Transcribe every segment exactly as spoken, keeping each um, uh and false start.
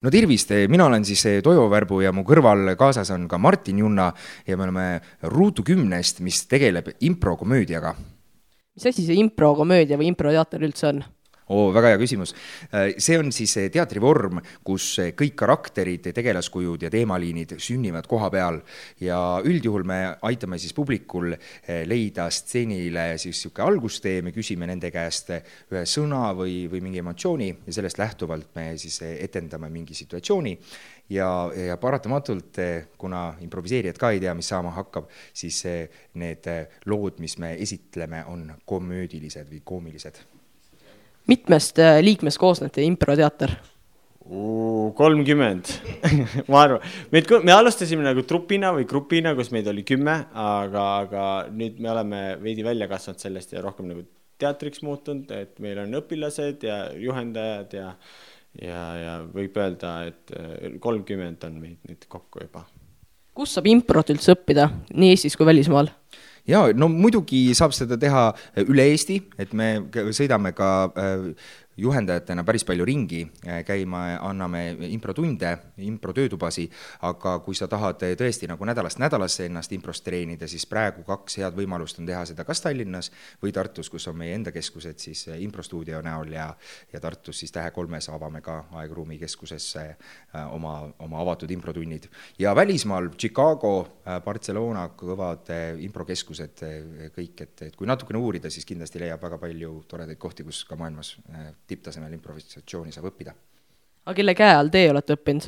No tervist, mina olen siis Toivo Värbu ja mu kõrval kaasas on ka Martin Junna ja me oleme Ruutu kümnest, mis tegeleb improkomöödiaga. Mis asi see improkomöödia või improteater üldse on? Oo, väga hea küsimus. See on siis teatrivorm, kus kõik karakterid, tegelaskujud ja teemaliinid sünnivad koha peal ja üldjuhul me aitame siis publikul leida stseenile siis siuke algustee, me küsime nende käest ühe sõna või, või mingi emotsiooni ja sellest lähtuvalt me siis etendame mingi situatsiooni ja, ja paratamatult, kuna improviseerijad ka ei tea, mis saama hakkab, siis need lood, mis me esitleme, on komöödilised või koomilised. Mitmest liikmest koosnete improteater? kolmkümmend ma arvan. Me, me alustasime nagu trupina või grupina, kus meid oli kümme, aga, aga nüüd me oleme veidi välja kasvanud sellest ja rohkem nagu teatriks muutunud, et meil on õpilased ja juhendajad ja, ja, ja võib öelda, et kolmkümmend on meid nüüd kokku juba. Kus saab improt üldse õppida, nii Eestis kui välismaal? Ja, no muidugi saab seda teha üle Eesti, et me sõidame ka juhendajatena päris palju ringi, käima, anname improtunde, improtöötubasi, aga kui sa tahad tõesti nagu nädalast nädalasse ennast improst treenida, siis praegu kaks head võimalust on teha seda kas Tallinnas või Tartus, kus on meie enda keskused siis improstuudio näol ja, ja Tartus siis Tähe kolmes avame ka Aegruumi keskuses oma, oma avatud improtunnid. Ja välismaal Chicago, Barcelona, kõvad improkeskused kõik, et, et kui natukene uurida, siis kindlasti leiab väga palju toredaid kohti, kus ka maailmas tipptasemel improvisatsiooni saab õppida. Aga kelle käe all teie olete õppinud?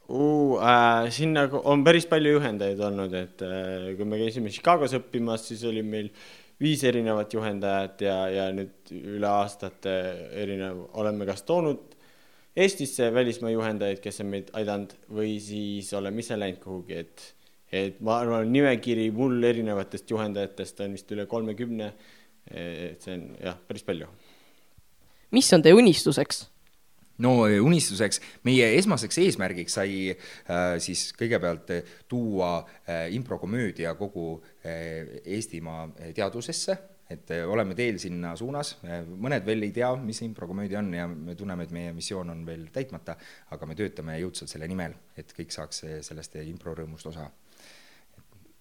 Uh, äh, siin on päris palju juhendajaid olnud, et äh, kui me käisime Chicagos õppimas, siis oli meil viis erinevat juhendajat ja, ja nüüd üle aastate erinev oleme kas toonud Eestisse välismaa juhendajaid, kes on meid aidanud või siis oleme ise läinud kuhugi, et, et ma arvan, nimekiri mul erinevatest juhendajatest on vist üle kolmekümne, et see on jah, päris palju. Mis on teie unistuseks? No unistuseks, meie esmaseks eesmärgiks sai äh, siis kõigepealt tuua äh, improkomöödia kogu äh, Eestimaa teadusesse, et äh, oleme teel sinna suunas. Mõned veel ei tea, mis improkomöödia on ja me tunneme, et meie missioon on veel täitmata, aga me töötame jõudsalt selle nimel, et kõik saaks sellest improrõõmust osa.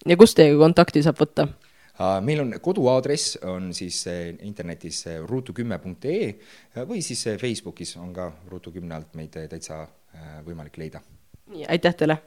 Ja kus teiega kontakti saab võtta? Meil on koduaadress on siis internetis ruutu kümme punkt ee või siis Facebookis on ka Ruutu kümne alt meid täitsa võimalik leida. Nii, aitäh teile!